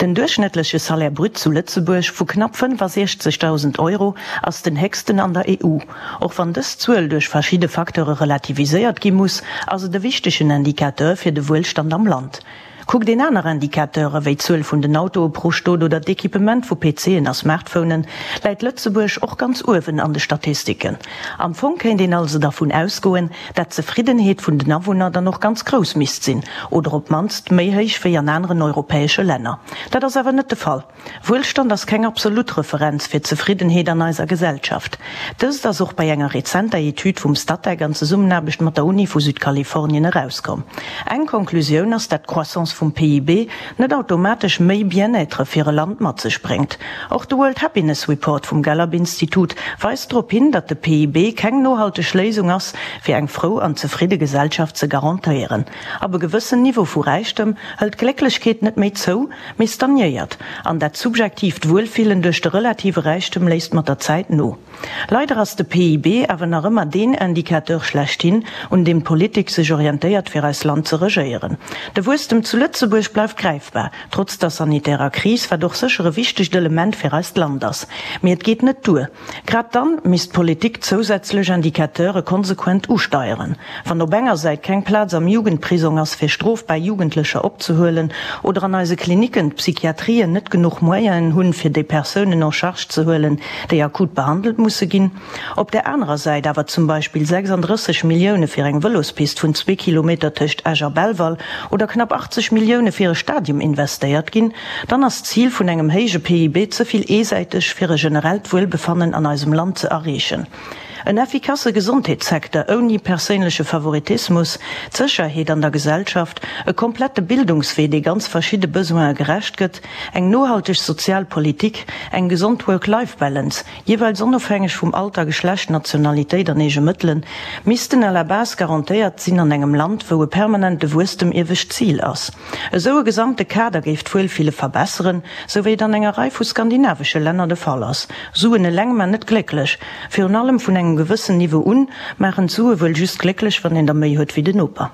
Den duerchschnëttleche Salaire brut zu Lëtzebuerg vu knapp 65.000 Euro ass den héchsten an der EU. Och wann dës Zuel duerch verschidde Facteure relativiséiert gi muss, ass et e wichtegen Indicateur fir de Wuelstand am Land. Kuckt een aner Indicateure wéi d'Zuel vun den Autoe pro Stot oder d'Equipement vu PCen a Smartphonen, läit Lëtzebuerg och ganz uewen an de Statistiken. Am Fong kéint een also dervun ausgoen, dat d'Zefriddenheet vun den Awunner dann och ganz grouss misst sinn, oder op d'mannst méi héich wéi an aneren europäesche Länner. Dat ass awer net de Fall. Wuelstand ass keng absolut Referenz fir d'Zefriddenheet an eiser Gesellschaft. Dëst ass och bei enger rezenter Etüd vum Statec an Zesummenaarbecht mat der Uni vu Südkalifornien erauskomm. Eng Konklusioun ass, dat d'Croissance vum PIB net automatesch méi Bien-être fir e Land mat sech bréngt. Och de World Happiness Report vum Gallup-Institut weist drop hin, datt de PIB keng nohalteg Léisung ass, fir eng frou an zefridde Gesellschaft ze garantéieren. Ab e gewëssen Niveau vu Räichtem hëlt d'Glécklechkeet net méi zou, mee stagnéiert, an dat subjektiivt Wuelfillen duerch de relative Räichtem léisst mat der Zäit no. Leider ass de PIB awer nach ëmmer deen Indicateur schlechthin, un deem d'Politik sech orientéiert fir eis Land ze regéieren. De Wuesstem zu Lëtzebuerg bleift gräifbar, trotz der sanitärer Kris, wat och sécher e wichtegt Element fir eist Land ass. Mee et geet net duer. Grad dann misst d'Politik zousätzlech Indicateure konsequent usteieren. Wann op enger Säit keng Plaz am Jugendprisong ass fir strofbar Jugendlecher opzehuelen oder an eise Klinicken d'Psychiatrien net genuch Moyenen hunn fir déi Persounen en charge ze huelen, déi akut behandelt musse ginn, op där anerer Säit awer zum Beispill 36 Millioune fir eng Vëlospist vun zwee Kilometer tëscht Esch a Belval oder knapp 80 Millioune fir e Stadium investéiert ginn, dann ass d'Zil vun engem héije PIB ze vill eesäiteg fir e generellt Wuelbefannen an eisem Land ze erreechen. En effikasse Gesondheetssecteur ouni perséinleche Favoritismus, d'Sécherheet an der Gesellschaft, e komplette Bildungswee, dee ganz verschidde Besoine gerecht gëtt, eng nohalteg sozial Politik, eng gesond Work-Life-Balance, jeeweils onofhängeg vum Alter, Geschlecht, Nationalitéit an eege Mëttelen, missten à la base garantéiert sinn an engem Land, wou e permanente Wuesstem iewescht Zil ass. Esou e gesamte Kader géif d'Wuelfille verbesseren, sou wéi et an enger Rei vu skandinavesche Länner de Fall ass. Suen eleng man net glécklech. Virun allem vun engem gewëssen Niveau un maachen d'Sue wuel just glécklech, wann een der méi huet wéi den Noper.